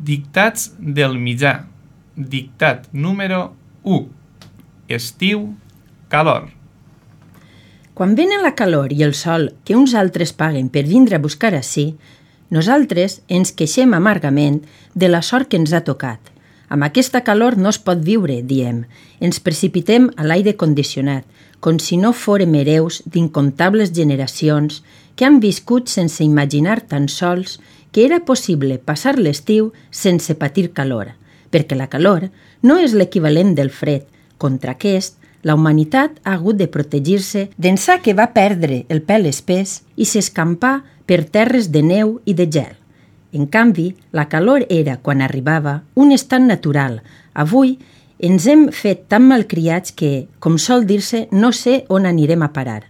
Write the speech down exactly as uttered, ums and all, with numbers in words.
Dictats del mitjà. Dictat número u. Estiu, calor. Quan venen la calor i el sol que uns altres paguen per vindre a buscar ací, nosaltres ens queixem amargament de la sort que ens ha tocat. Amb aquesta calor no es pot viure, diem. Ens precipitem a l'aire condicionat, com si no fórem hereus d'incomptables generacions que han viscut sense imaginar tan sols que era possible passar l'estiu sense patir calor, perquè la calor no és l'equivalent del fred. Contra aquest, la humanitat ha hagut de protegir-se d'ençà que va perdre el pèl espès i s'escampar per terres de neu i de gel. En canvi, la calor era, quan arribava, un estat natural. Avui ens hem fet tan malcriats que, com sol dir-se, no sé on anirem a parar.